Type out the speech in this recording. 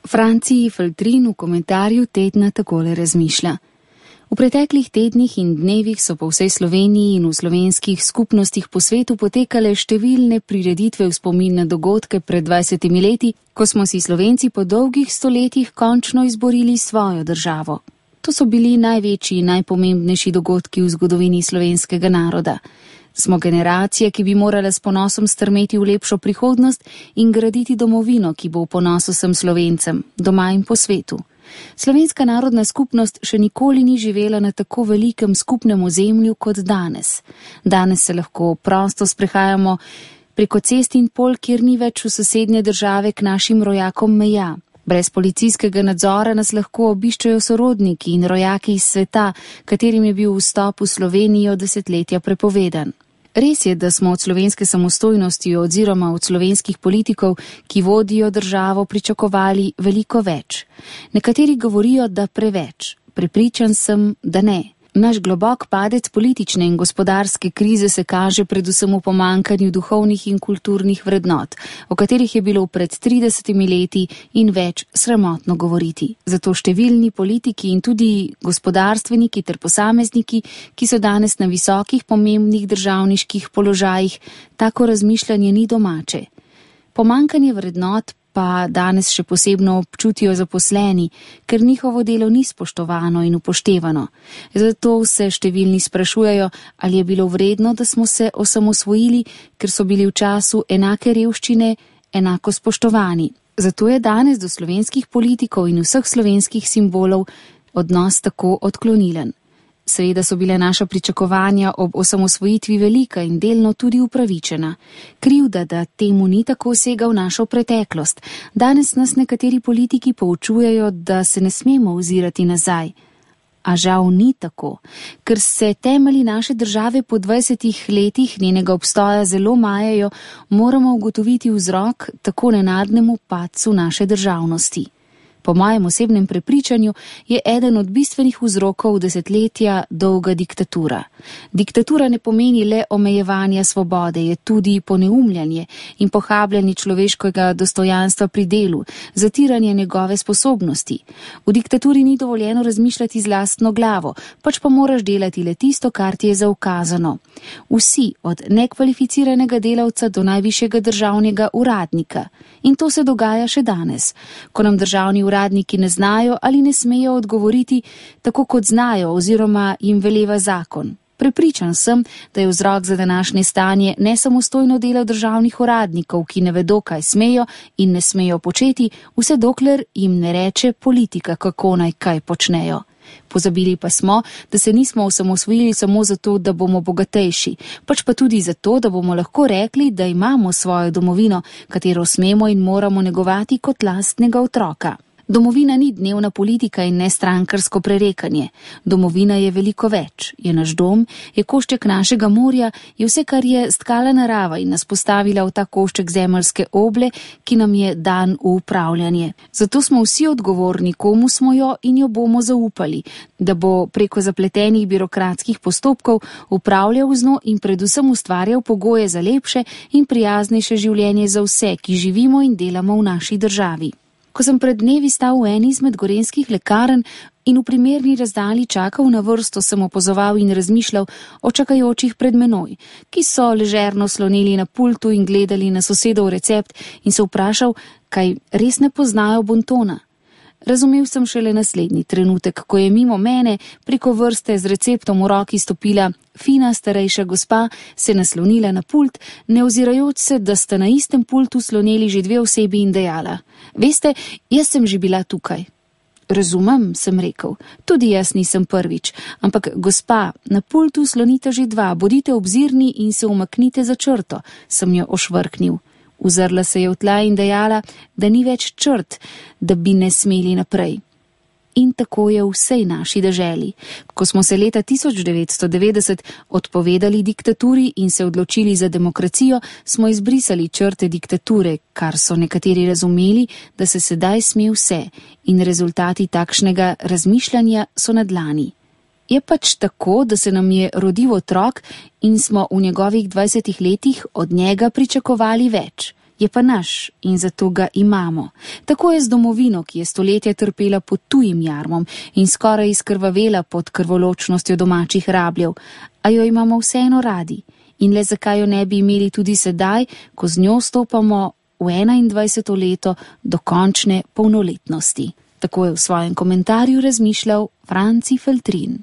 Franciji Feltrin v komentarju tedna takole razmišlja. V preteklih tednih in dnevih so po vsej Sloveniji in v slovenskih skupnostih po svetu potekale številne prireditve v spomin na dogodke pred 20 leti, ko smo si Slovenci po dolgih stoletjih končno izborili svojo državo. To so bili največji in najpomembnejši dogodki v zgodovini slovenskega naroda. Smo generacija, ki bi morala s ponosom strmeti v lepšo prihodnost in graditi domovino, ki bo v ponos vsem Slovencem, doma in po svetu. Slovenska narodna skupnost še nikoli ni živela na tako velikem skupnem ozemlju kot danes. Danes se lahko prosto sprehajamo preko cest in pol, kjer ni več v sosednje države k našim rojakom meja. Brez policijskega nadzora nas lahko obiščajo sorodniki in rojaki iz sveta, katerim je bil vstop v Slovenijo desetletja prepovedan. Res je, da smo od slovenske samostojnosti oziroma od slovenskih politikov, ki vodijo državo, pričakovali veliko več. Nekateri govorijo, da preveč. Prepričan sem, da ne. Naš globok padec politične in gospodarske krize se kaže predvsem v pomanjkanju duhovnih in kulturnih vrednot, o katerih je bilo pred 30 leti in več sramotno govoriti. Zato številni politiki in tudi gospodarstveniki ter posamezniki, ki so danes na visokih pomembnih državniških položajih, tako razmišljanje ni domače. Pomanjkanje vrednot pa danes še posebno občutijo zaposleni, ker njihovo delo ni spoštovano in upoštevano. Zato se številni sprašujejo, ali je bilo vredno, da smo se osamosvojili, ker so bili v času enake revščine enako spoštovani. Zato je danes do slovenskih politikov in vseh slovenskih simbolov odnos tako odklonilen. Seveda so bile naša pričakovanja ob osamosvojitvi velika in delno tudi upravičena. Krivda, da temu ni tako sega v našo preteklost. Danes nas nekateri politiki poučujejo, da se ne smemo ozirati nazaj. A žal ni tako, ker se temelji naše države po 20 letih njenega obstoja zelo majajo, moramo ugotoviti vzrok tako nenadnemu padcu naše državnosti. Po mojem osebnem prepričanju je eden od bistvenih vzrokov desetletja dolga diktatura. Diktatura ne pomeni le omejevanja svobode, je tudi poneumljanje in pohabljanje človeškega dostojanstva pri delu, zatiranje njegove sposobnosti. V diktaturi ni dovoljeno razmišljati z lastno glavo, pač pa moraš delati le tisto, kar ti je zaukazano. Vsi, od nekvalificiranega delavca do najvišjega državnega uradnika. In to se dogaja še danes, ko nam državni uradniki ne znajo ali ne smejo odgovoriti tako, kot znajo oziroma jim veleva zakon. Prepričan sem, da je vzrok za današnje stanje nesamostojno delo državnih uradnikov, ki ne vedo, kaj smejo in ne smejo početi, vse dokler jim ne reče politika, kako naj kaj počnejo. Pozabili pa smo, da se nismo osamosvojili samo zato, da bomo bogatejši, pač pa tudi zato, da bomo lahko rekli, da imamo svojo domovino, katero smemo in moramo negovati kot lastnega otroka. Domovina ni dnevna politika in ne strankarsko prerekanje. Domovina je veliko več. Je naš dom, je košček našega morja, je vse, kar je stkala narava in nas postavila v ta košček zemeljske oble, ki nam je dan v upravljanje. Zato smo vsi odgovorni, komu smo jo in jo bomo zaupali, da bo preko zapletenih birokratskih postopkov upravljal z njo in predvsem ustvarjal pogoje za lepše in prijaznejše življenje za vse, ki živimo in delamo v naši državi. Ko sem pred dnevi stal v eni izmed gorenjskih lekarn in v primerni razdalji čakal na vrsto, sem opazoval in razmišljal o čakajočih pred menoj, ki so ležerno sloneli na pultu in gledali na sosedov recept in se vprašal, kaj res ne poznajo bontona. Razumel sem šele naslednji trenutek, ko je mimo mene preko vrste z receptom v roki stopila fina starejša gospa, se naslonila na pult, ne ozirajoč se, da sta na istem pultu sloneli že dve osebi in dejala: "Veste, jaz sem že bila tukaj." "Razumem," sem rekel, "tudi jaz nisem prvič, ampak gospa, na pultu slonite že dva, bodite obzirni in se umaknite za črto," sem jo ošvrknil. Uzrla se je v tla in dejala, da ni več črt, da bi ne smeli naprej. In tako je v vsej naši deželi. Ko smo se leta 1990 odpovedali diktaturi in se odločili za demokracijo, smo izbrisali črte diktature, kar so nekateri razumeli, da se sedaj sme vse, in rezultati takšnega razmišljanja so na dlani. Je pač tako, da se nam je rodil otrok in smo v njegovih 20 letih od njega pričakovali več. Je pa naš in zato ga imamo. Tako je z domovino, ki je stoletja trpela pod tujim jarmom in skoraj izkrvavela pod krvoločnostjo domačih rabljev, a jo imamo vseeno radi. In le zakaj jo ne bi imeli tudi sedaj, ko z njo stopamo v 21. leto do končne polnoletnosti. Tako je v svojem komentarju razmišljal Franci Feltrin.